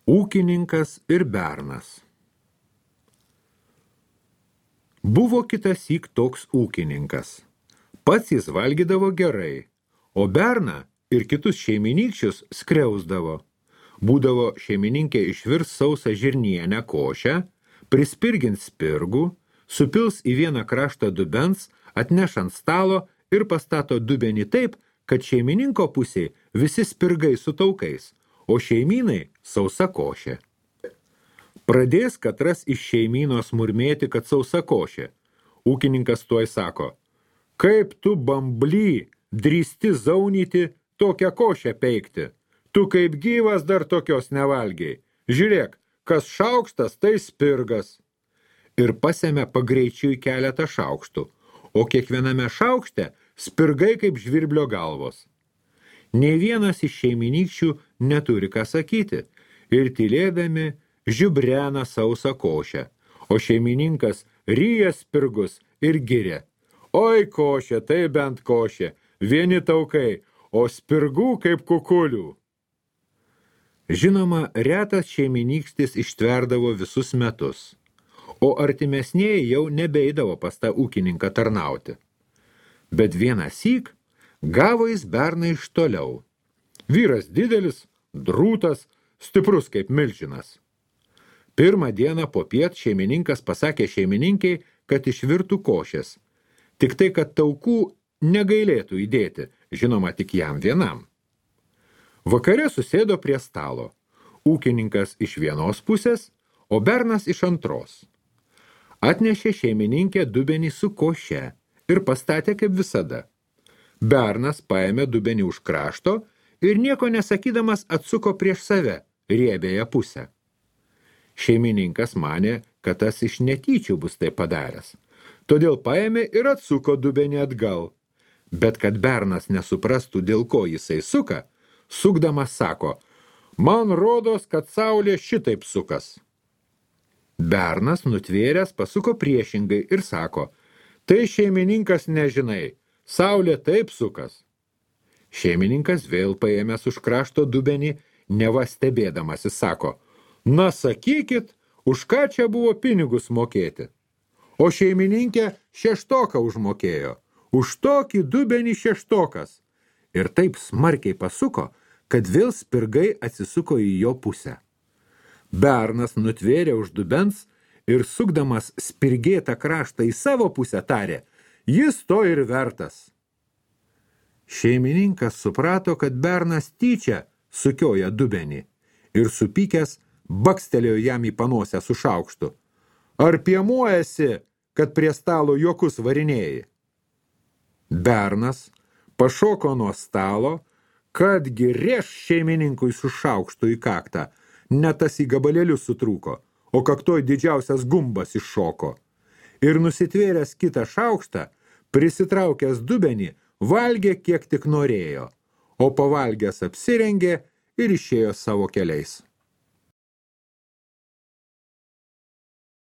Ūkininkas ir bernas. Buvo kitąsyk toks ūkininkas. Pats jis valgydavo gerai, o berną ir kitus šeiminykščius skriausdavo. Būdavo šeimininkė išvirs sausą žirnienę košę, prispirgins spirgų, supils į vieną kraštą dubens, atneš ant stalo ir pastato dubenį taip, kad šeimininko pusėj visi spirgai su taukais, o šeimynai sausa košė. Pradės katras iš šeimynos murmėti, kad sausa košė. Ūkininkas tuoj sako, kaip tu bambly drįsti zaunyti tokią košę peikti. Tu kaip gyvas dar tokios nevalgiai. Žiūrėk, kas šaukštas, tai spirgas. Ir pasėmė pagreičiui keletą šaukštų, o kiekviename šaukšte spirgai kaip žvirblio galvos. Nei vienas iš šeiminykščių neturi ką sakyti ir tylėdami žiubrena sausą košę, o šeimininkas ryja spirgus ir giria. Oi košė, tai bent košė, vieni taukai, o spirgų kaip kukulių. Žinoma, retas šeiminykstis ištverdavo visus metus, o artimesnieji jau nebeidavo pas tą ūkininką tarnauti. Bet vienąsyk gavo jis berną iš toliau. Vyras didelis, drūtas, stiprus kaip milžinas. Pirmą dieną popiet šeimininkas pasakė šeimininkiai, kad išvirtų košės. Tik tai, kad taukų negailėtų įdėti, žinoma, tik jam vienam. Vakare susėdo prie stalo. Ūkininkas iš vienos pusės, o bernas iš antros. Atnešė šeimininkė dubenį su koše ir pastatė kaip visada. Bernas paėmė dubenį už krašto ir nieko nesakydamas atsuko prieš save riebiąją pusę. Šeimininkas manė, kad tas iš netyčių bus tai padaręs. Todėl paėmė ir atsuko dubenį atgal. Bet kad bernas nesuprastų, dėl ko jisai suka, sukdamas sako, man rodos, kad saulė šitaip sukas. Bernas nutvėręs pasuko priešingai ir sako, tai šeimininkas nežinai, saulė taip sukas. Šeimininkas vėl paėmęs už krašto dubenį, neva stebėdamasis sako, na sakykit, už ką čia buvo pinigus mokėti. O šeimininkė šeštoką užmokėjo, už tokį dubenį šeštokas. Ir taip smarkiai pasuko, kad vėl spirgai atsisuko į jo pusę. Bernas nutvėrė už dubens ir sukdamas spirgėtą kraštą į savo pusę tarė, jis to ir vertas. Šeimininkas suprato, kad bernas tyčia sukioja dubenį ir supykęs bakstelėjo jam į panosę su šaukštu. Ar piemuojasi, kad prie stalo juokus varinėjai? Bernas pašoko nuo stalo, kadgi rėš šeimininkui su šaukštu į kaktą, net tas į gabalėlius sutrūko, o kaktoj didžiausias gumbas iššoko. Ir nusitvėręs kitą šaukštą, prisitraukęs dubenį, valgė kiek tik norėjo, o pavalgęs apsirengė ir išėjo savo keliais.